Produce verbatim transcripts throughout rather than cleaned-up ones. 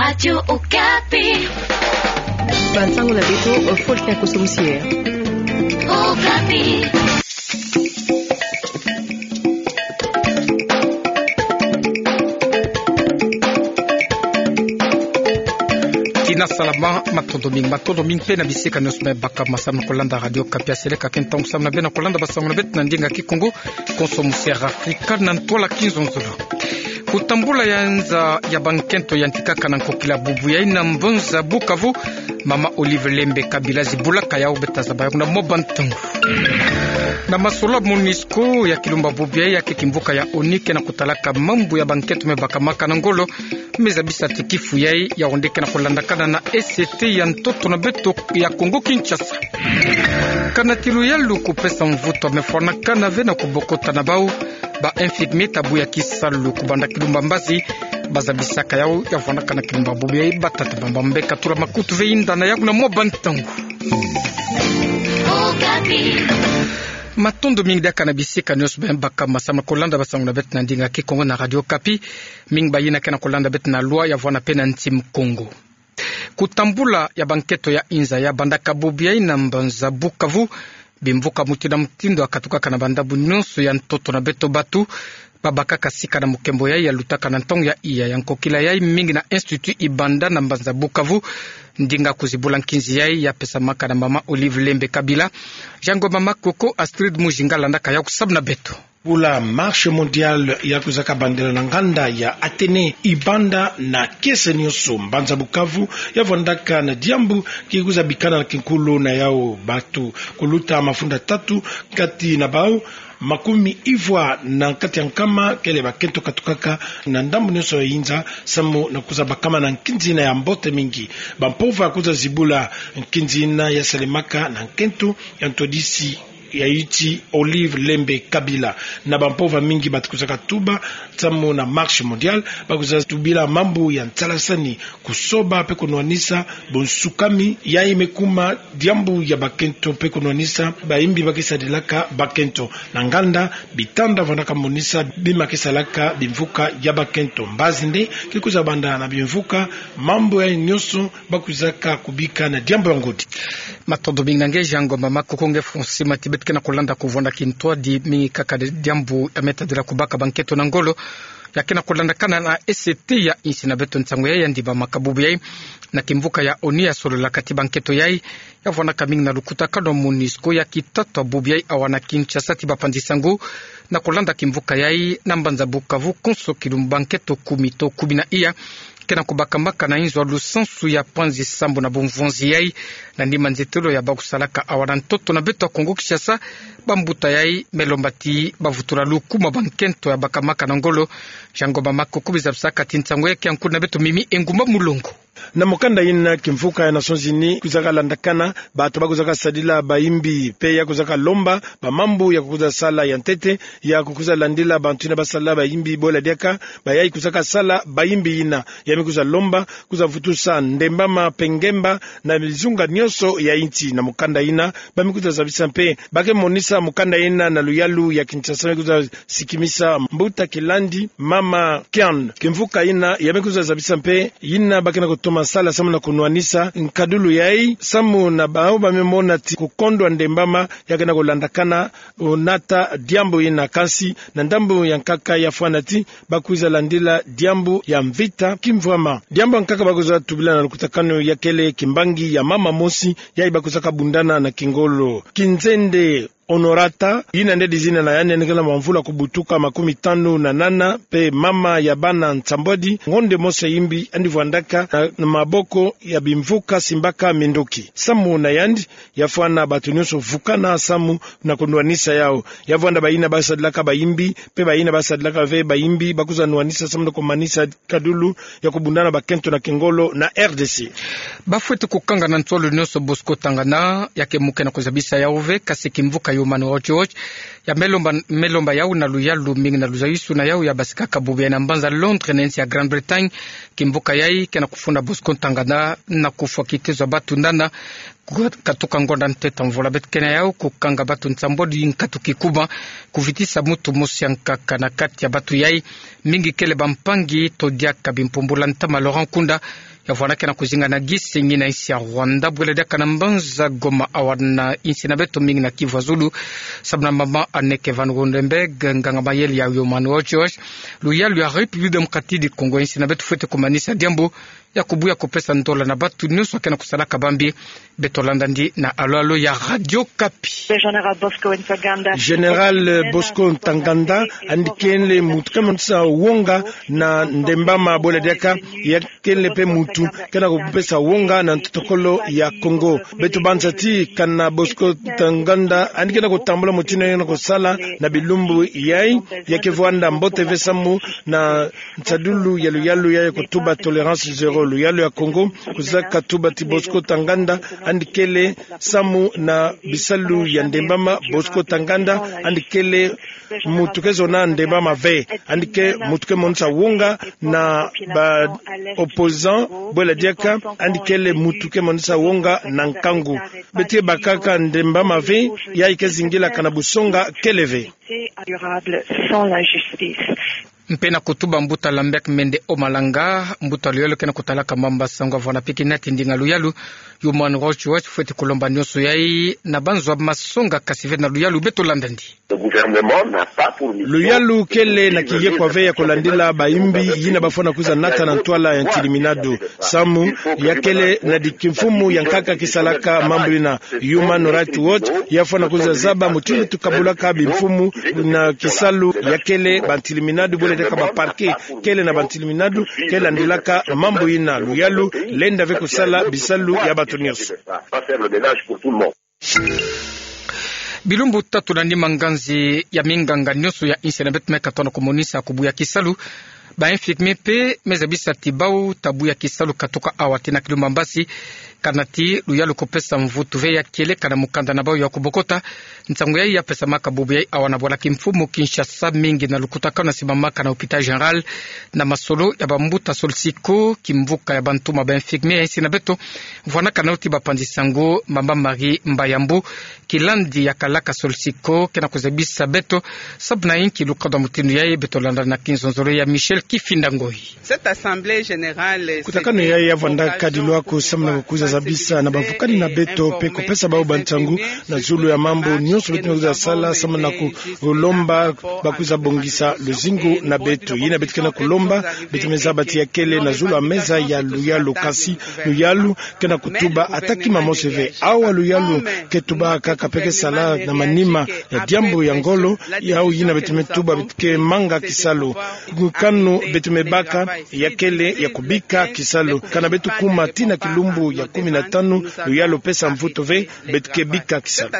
Radio Okapi. Bansango na beto, o Faustin Koso Musier. Okapi. Tina salama, matondo mingi, matondo mingi mpe na bisika nyonso me baka masam na kolanda Radio Okapi. Seleka ke ntangu samu na beno na kolanda bansango na beto na ndinga Kikongo, Konso Musier Afrika na ntwala kizonzolo. Kutambula ya nza ya bankento yantikaka na nkokila bubu yai na mbanza Bukavu, Mama Olive Lembe Kabila zibulaka yau, beta zaba yau na mwa bantangu. Na masolo MONUSCO ya kilumba bubu yai, ya ke kimvuka ya ONU ke na kutalaka mambu ya bankento me bakamaka na ngolo, me zabisa ti kifu yai ya onde ke na kulandakana na E C T ya ntoto na beto ya Kongo Kinshasa. Kana ti luyalu kupesa mvutu me fwanakana ve na kubokota na bau ba infirmier tabu ya kisalu kubanda kilumba mbazi, ba zabisaka yau ya fwanakana kilumba bubu yai. Batata bamba mbe katula makutu ve, yinda na yau na mwa bantangu. Matondo mingi diaka na bisika nyonso me baka masam na kolanda bansango na beto na ndinga Kikongo na Radio Okapi. Mingi bayina ke na kolanda beto na loi ya vwanda mpe na nti Mukongo. Kutambula ya bankento ya inza ya bandaka bubu yai na mbanza Bukavu. Bimvuka mutindu na mutindu ya katukaka na bandambu nyonso ya ntoto na beto. Batu babakaka sika na mukembo yai ya lutaka na ntangu ya iya ya nkokila yai, mingi na Institut Ibanda na mbanza Bukavu. Ndinga kuzibula nkinzi yai ya pesamaka na Mama Olive Lembe Kabila, Jean Ngoma Makoko, Astrid Mujinga landaka yau kusamu na beto. Bula marche mondiale ya kwiza kabandela na nganda ya Athénée Ibanda na kiese nyonso mbanza Bukavu, ya vwandaka na diambu ki kwiza bikana na kinkulu na yau batu kuluta mafunda tatu, kati na bau makumi ivwa na kati ya nkama kele bakento katukaka na ndambu nyonso ya inza, samu na kwiza bakama na nkinzi yina ya mbote mingi. Bampova kwiza zibula nkinzi yina ya salemaka na nkento ya ntwadisi ya insi Olive Lembe Kabila. Na bampova mingi batu kwizaka tuba samu na marche mondiale, ba kwiza tubila mambu ya nsalasani, kusoba mpe kunwanisa bunsukami, yai me kuma diambu ya bakento mpe kunwanisa bayimbi ba ke sadilaka bakento. Na nganda bitanda vwandaka monisa bima ke salaka bimvuka ya bakento. Mbazi nde ki kwiza banda na bimvuka, mambu yai nyonso ba kwizaka kubika na diambu ya ngudi. Matondo mingi na nge Jean Ngoma Makoko. Nge Francis Matibet, ke na kulanda kuvwanda kintwadi mingi kaka diambu ya me tadila kubaka bankento na ngolo, ya ke na kulandakana na E C T ya insi na beto. Nsangu yai ya ndimamaka bubu yai na kimvuka ya ONU ya sololaka ti bankento yai ya vwandaka mingi na lukutakanu MONUSCO ya kitatwa bubu yai awa na Kinshasa ti bapanzi nsangu. Na kulanda kimvuka yai, na mbanza Bukavu konso kilumbu bankento kumi to kumi na iya ke na kubakamaka na inzo ya lusansu ya panzi sambu na bumvonzi yai. Na nima nzetelo ya ba kusalaka awa na ntoto na beto ya Kongo Kinshasa, bambuta yai me lomba ti ba vutula lukuma bankento ya bakamaka na ngolo. Jean Ngoma Makoko, bizabisaka ti nsangu yai ke ya nkulu na beto Mimi Engumba Mulongo. Na mukanda yina, kimvuka ya Nations Unies kwizaka landakana batu ba kwizaka sadila bayimbi, mpe ya kwizaka lomba bamambu ya kukwiza sala ya ntete, ya kukwiza landila bantu yina ba sala bayimbi bola diaka, bayai kwizaka sala bayimbi yina. Ya me kwiza lomba kwiza vutusa ndembama mpe ngemba na bizunga nyonso ya insi. Na mukanda yina, ba me kwiza zabisa mpe, ba ke monisa mukanda yina na luyalu ya Kinshasa, me kwiza sikimisa mbuta kilandi, Mama Kian. Kimvuka yina ya me kwiza zabisa mpe yina ba ke na kutoma sala samu na kunwanisa nkadulu yai, samu na bau ba me mona ti kukondwa ndembama ya ke na kulandakana, o, nata diambu yina. Kansi na ndambu ya nkaka ya fwana ti ba kwiza landila diambu ya mvita kimvwama. Diambu ya nkaka ba kwiza tubila na lukutakanu ya kele kimbangi ya mama mosi, yai ba kwizaka bundana na kingolo. Kinzende Honorata, yina nde dizina na yandi, yandi kele na mamvula kubutuka makumi tanu na nana, mpe mama ya bana nsambwadi, ngonde mosi ya yimbi yandi vwandaka na, na maboko ya bimvuka simbaka minduki. Samu na yandi, ya fwana batu nyonso vukana samu na kunwanisa yau. Ya vwanda bayina ba sadilaka bayimbi, mpe bayina ba sadilaka ve bayimbi, ba kwiza nwanisa samu na kumanisa kadulu ya kubundana bakento na kingolo na R D C. Ba fweti kukanga na ntolo nyonso Bosco Ntangana, ya ke muke na kuzabisa yau ve, kansi kimvuka Human Rights Watch ya me lomba, me lomba yau na luyalu mingi na luzayusu na yau ya basikaka bubu yai na mbanza Londres na insi ya Grande-Bretagne. Kimvuka yai ke na kufunda Bosco Ntangana na kufwa kitezo ya batu nana kukatuka ngonda ntete mvula beto ke na yau, kukanga batu nsambwadi nkatu kikuma, kuvitisa mutu mosi ya nkaka na kati ya batu yai. Mingi kele bampangi to diaka bimpumbula ntama. Laurent Nkunda, Vwana kena kuzinga na gisi ngina insi ya Rwanda, bwela diaka na mbanza Goma, awa na insi na beto mingi na Kivu ya Zulu, sababu na mama Anneke van Rooyendaal, nganga mayele ya Human Rights Watch, luyalu ya République Démocratique du Congo, insi na beto fwete kumanisa diambu ya kubuya kupesa ndola na batu nyonso kena kusalaka bambi. Beto landa ndi na alo alo ya Radio Okapi. Général Bosco Ntaganda, yandi kele muntu ke monisa wonga na Ndembama, bwela diaka, ya kele pe muntu kena kupesa wonga na ntotokolo ya Congo. Beto banza ti kana Bosco Ntaganda yandi kena kutambula mutindu yandi kena kusala na bilumbu yayi, ya ke vwanda mbote ve samu na nsadulu ya luyalu ya kutuba tolérance zéro. Luyalu ya Congo kwiza katuba ti Bosco Ntaganda yandi kele samu na bisalu ya Ndembama. Bosco Ntaganda yandi kele muntu ke zona Ndembama ve, yandi ke muntu ke monisa wonga na ba opposants, bwela diaka, yandi kele muntu ke monisa wonga na nkangu. Beto ke bakaka Ndembama ve, yayi ke zingila kana busonga kele ve. Mpe na kutuba mbuta Lambert Mende Omalanga, mbuta luyalu kena kutalaka mamba sango, avwanda pe kina ti ndinga luyalu, Human Rights Watch fwete kulomba nyonso yayi na banzo ya masonga kasi ve na luyalu. Beto landa ndi. Luyalu kele na kiyekwa ve ya kulandila bayimbi yina bafwana kwiza nata na ntwala ya ntiliminadu. Samu ya kele na di kimfumu ya nkaka kisalaka mambu yina. Human Rights Watch ya fwana kwiza zaba mutindu tukabulaka bimfumu na kisalu, ya kele bantiliminadu, bwela diaka ba parquet kele na bantiliminadu ke landilaka mambu yina. Luyalu lenda ve kusala bisalu ya batu nyonso. Bilumbu tatu na nima, nganzi ya minganga nyonso ya insi na beto me katono kumonisa kubuya kisalu. Ba infirmiers mpe me zabisa ti bau ta buya kisalu katoka awa tii na kilumbu ya mbasi, kana ti luyalu kupesa mvutu ve ya kieleka na mukanda na bau ya kubokota. Nsangu yayi ya pesamaka bubu yayi awa na bwala kimfumu Kinshasa, mingi na lukutakanu na simamaka na hôpital général na masolo ya bambuta Solsiko, kimvuka ya bantuma ba infirmiers ya insi na beto. Vwanaka nao ti bapanzi sango, mama Marie Mbayambu, kilandi ya kalaka Solsiko, kena kuzabisa beto sababu na inki lukanda mutindu yayi. Beto landa na kinzonzolo ya Michel Kifinda Ngoyi. Cette assemblée générale, kutakanu yayi ya vwandaka dilwaku samu na kukwiza zabisa na bavukani na beto mpe kupesa bau bansangu na zulu ya mambu nyonso beto me kwiza sala samu na kulomba bakwiza bongisa luzingu na beto. Yina beto kena kulomba, beto me zaba ti ya kele na zulu ya meza ya luyalu, kasi luyalu kena kutuba ata kima mosi ve. Awa luyalu ke tubaka kaka mpe ke sala na manima ya diambu ya ngolo, yau yina beto me tuba beto ke manga kisalu. Kanu beto me baka ya kele ya kubika kisalu. Kana beto kuma tii na kilumbu ya kumi na tanu, luyalu pesa mvutu ve, beto ke bika kisalu.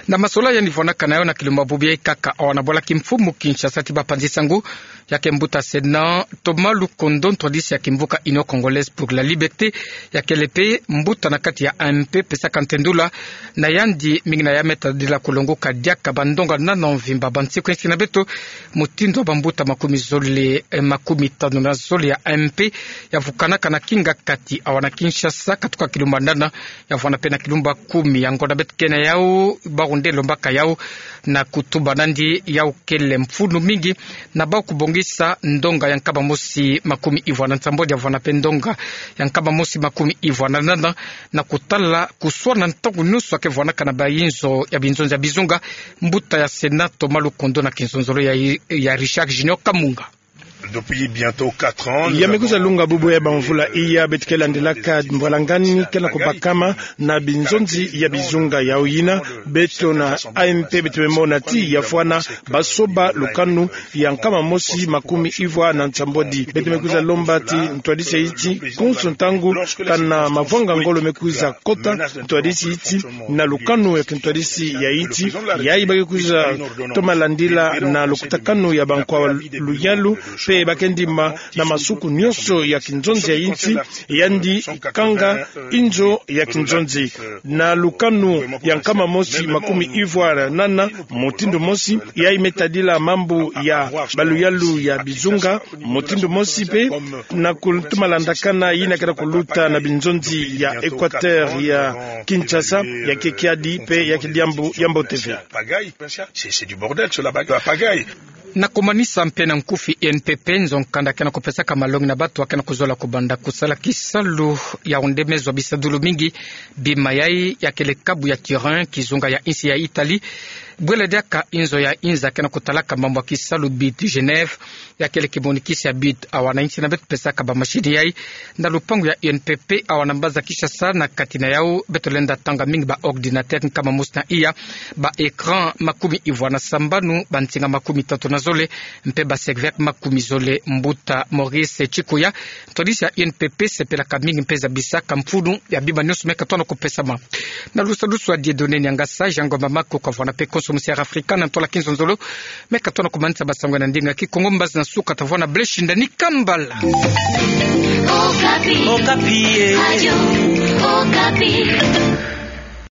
Na masolo yandi vwanaka nayau na kilumbu ya bubu yayi kaka awa na bwala kimfumu Kinshasa ti bapanzi sango, ya ke mbuta Sénat Thomas Lukondo, ntwadisi ya kimvuka Union Congolaise pour la Liberté, ya kele mpe mbuta na kati ya A M P, pesaka ntendula na yandi mingi na ya me tadila kulongoka diaka bandonga nana mvimba. Bansiku ya insi na beto, mutindu wa bambuta makumi zole, eh, makumi tanu na zole ya A M P ya vukanaka na kingakati awa na Kinshasa, katuka kilumbu ya nana, ya vwana mpe na kilumbu ya kumi. Yango na beto ke nayau, bawu nde lombaka yau na kutuba nandi yau kele mfunu mingi na bau kubongisa ndonga ya nkama mosi makumi ivwa na nsambwadi, ya vwana mpe ndonga ya nkama mosi makumi ivwa na nana, na kutala kuswana ntangu nyonso ya ke vwanaka na bayinzo ya binzonzi ya bizunga. Mbuta ya Sénat Thomas Lukondo na kinzonzolo ya, ya Richard Junior Kamunga. Depuis bientôt quatre ans, ya me kwiza lunga bubu ya bamvula iya beto ke landilaka mbwalangani kena kubakama na binzonzi ya bizunga. Yau yina, beto na A M P beto me mona ti ya fwana basoba lukanu ya nkama mosi makumi ivwa na nsambwadi. Beto me kwiza lomba ti ntwadisi ya iti, konso ntangu kana mavwanga ngolo me kwiza kota, ntwadisi iti na lukanu ya kintwadisi ya iti, yayi ba ke kwiza toma landila na lukutakanu ya bankwa luyalu, mpe ba ke ndima na masuku nyonso ya kinzonzi ya insi, yandi kanga inzo ya kinzonzi. Na lukanu ya nkama mosi makumi ivwa na nana, mutindu mosi, yayi me tadila mambu ya baluyalu ya bizunga, mutindu mosi mpe na kutoma landakana yina kena kuluta na binzonzi ya Équateur, ya Kinshasa, ya ke kiadi mpe ya ke diambu ya mbote ve. C'est, c'est du bordel, cela, la pagaille. Na kumanisa mpe na nkufi, U N P P, nzo kanda ke na kupesaka malongi na batu ake na kuzola kubanda kusala kisalu. Yaoundé me zwa bisadulu mingi bi mayai ya kele kabu ya Turin, kizunga ya insi ya Italie, bwela diaka nzo ya inza ke na kutalaka mambu ya kisalu, but Genève, ya kele kimonikisi ya but. Awa na insi na beto pesaka ba masini yai na lupangu ya U N P P, awa na mbanza Kinshasa, na kati na yau beto lenda tanga mingi ba ordinateur nkama mosi na iya, ba écran makumi ivwa na sambanu, ba nsinga makumi tatu na zole, mpe ba serveur makumi zole. Mbuta Maurice Tshikoya, ntwadisi ya U N P P, sepelaka mingi mpe zabisaka mfunu ya bima nionso me katona kupesama. Na lusadusu ya Dieudonné Niangasa, Jean Ngomba Maku kavwanda mpe konso musi ya Afrika na ntwala kinzonzolo, me katona kumanisa ba sango na ndinga Kikongo. Mbazi na suka tavwanda Blaise Shindani Kambala. Okapi. Okapi, eh. Radio Okapi.